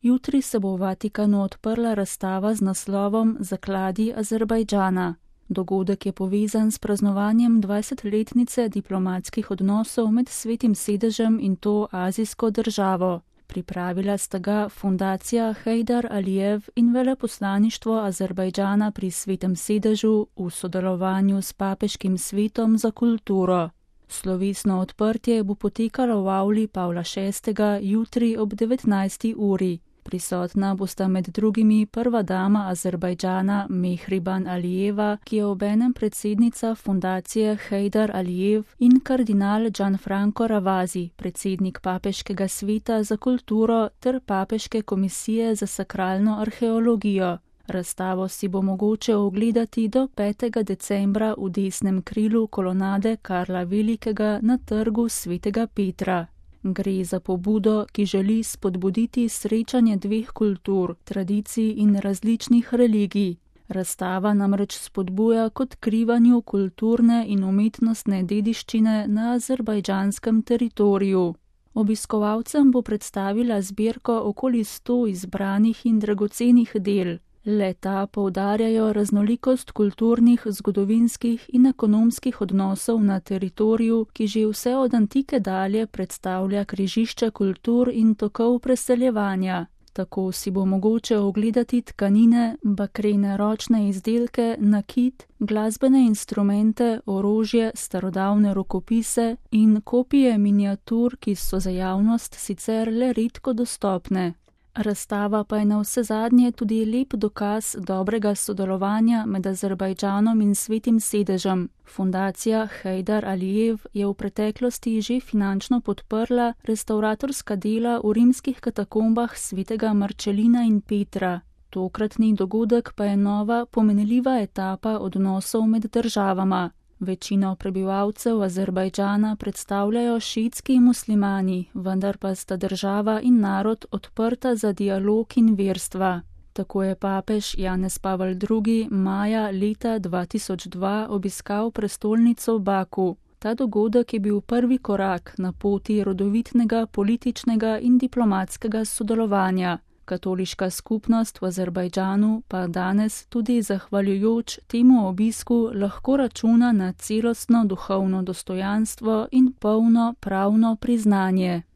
Jutri se bo v Vatikanu odprla razstava z naslovom Zakladi Azerbajdžana. Dogodek je povezan s praznovanjem 20-letnice diplomatskih odnosov med Svetim sedežem in to azijsko državo. Pripravila sta ga fundacija Heydar Alijev in veleposlaništvo Azerbajdžana pri Svetem sedežu v sodelovanju s Papeškim svetom za kulturo. Slovesno odprtje bo potekalo v avli Pavla VI. Jutri ob 19. uri. Prisotna bosta med drugimi prva dama Azerbajdžana Mehriban Alijeva, ki je obenem predsednica fundacije Heydar Alijev, in kardinal Gianfranco Ravasi, predsednik Papeškega sveta za kulturo ter Papeške komisije za sakralno arheologijo. Razstavo si bo mogoče ogledati do 5. decembra v desnem krilu kolonade Karla Velikega na trgu Svetega Petra. Gre za pobudo, ki želi spodbuditi srečanje dveh kultur, tradicij in različnih religij. Razstava namreč spodbuja k odkrivanju kulturne in umetnostne dediščine na azerbajdžanskem teritoriju. Obiskovalcem bo predstavila zbirko okoli 100 izbranih in dragocenih del. Le-ta poudarjajo raznolikost kulturnih, zgodovinskih in ekonomskih odnosov na teritoriju, ki že vse od antike dalje predstavlja križišče kultur in tokov preseljevanja. Tako si bo mogoče ogledati tkanine, bakrene ročne izdelke, nakit, glasbene instrumente, orožje, starodavne rokopise in kopije miniatur, ki so za javnost sicer le redko dostopne. Razstava pa je navsezadnje tudi lep dokaz dobrega sodelovanja med Azerbajdžanom in Svetim sedežem. Fundacija Heydar Alijev je v preteklosti že finančno podprla restavratorska dela v rimskih katakombah svetega Marčelina in Petra. Tokratni dogodek pa je nova, pomenljiva etapa odnosov med državama. Večino prebivalcev Azerbajdžana predstavljajo šiitski muslimani, vendar pa sta država in narod odprta za dialog in verstva. Tako je papež Janez Pavel II. Maja leta 2002 obiskal prestolnico Baku. Ta dogodek je bil prvi korak na poti rodovitnega političnega in diplomatskega sodelovanja. Katoliška skupnost v Azerbajdžanu pa danes tudi zahvaljujoč temu obisku lahko računa na celostno duhovno dostojanstvo in polno pravno priznanje.